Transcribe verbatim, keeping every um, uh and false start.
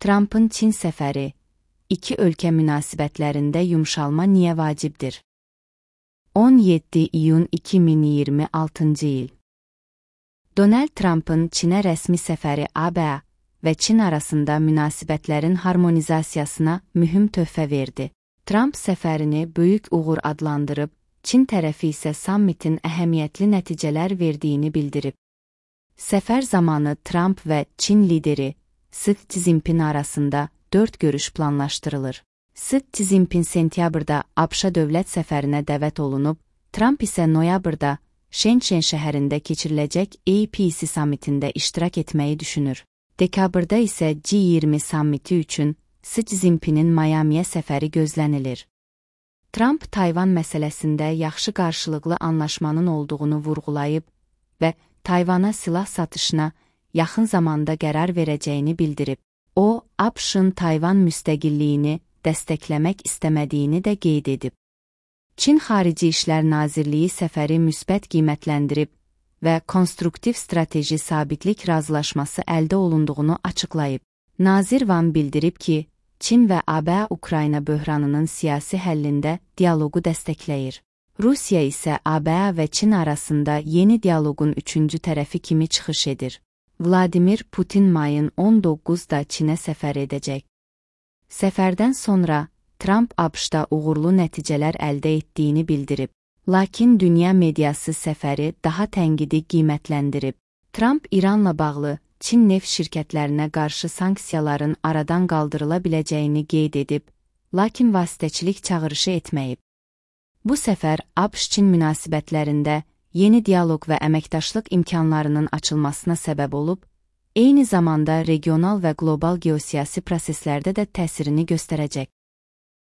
Trump'ın Çin səfəri, iki ölkə münasibətlərində yumşalma niyə vacibdir? on yeddi iyun iki min iyirmi altıncı il. Donald Trump'ın Çinə rəsmi səfəri A B A və Çin arasında münasibətlərin harmonizasiyasına mühüm töhfə verdi. Trump səfərini böyük uğur adlandırıb, Çin tərəfi isə sammitin əhəmiyyətli nəticələr verdiyini bildirib. Səfər zamanı Trump və Çin lideri Xi Jinping arasında dörd görüş planlaşdırılır. Xi Jinping sentyabrda ABŞ dövlət səfərinə dəvət olunub, Trump isə noyabrda Şenşen şəhərində keçiriləcək A P C sammitində iştirak etməyi düşünür. Dekabrda isə G iyirmi sammiti üçün Xi Jinping'in Miami'yə səfəri gözlənilir. Trump Tayvan məsələsində yaxşı qarşılıqlı anlaşmanın olduğunu vurğulayıb və Tayvana silah satışına yaxın zamanda qərar verəcəyini bildirib. O, ABŞ-ın Tayvan müstəqilliyini dəstəkləmək istəmədiyini də qeyd edib. Çin Xarici İşlər Nazirliyi səfəri müsbət qiymətləndirib və konstruktiv strateji sabitlik razılaşması əldə olunduğunu açıqlayıb. Nazir Van bildirib ki, Çin və A B A Ukrayna böhranının siyasi həllində dialoqu dəstəkləyir. Rusiya isə A B A və Çin arasında yeni dialoqun üçüncü tərəfi kimi çıxış edir. Vladimir Putin mayın on doqquzunda Çinə səfər edəcək. Səfərdən sonra Trump ABŞ-da uğurlu nəticələr əldə etdiyini bildirib. Lakin dünya mediası səfəri daha tənqidi qiymətləndirib. Trump İranla bağlı Çin neft şirkətlərinə qarşı sanksiyaların aradan qaldırıla biləcəyini qeyd edib, lakin vasitəçilik çağırışı etməyib. Bu səfər ABŞ-Çin münasibətlərində yeni dialoq və əməkdaşlıq imkanlarının açılmasına səbəb olub, eyni zamanda regional və qlobal geosiyasi proseslərdə də təsirini göstərəcək.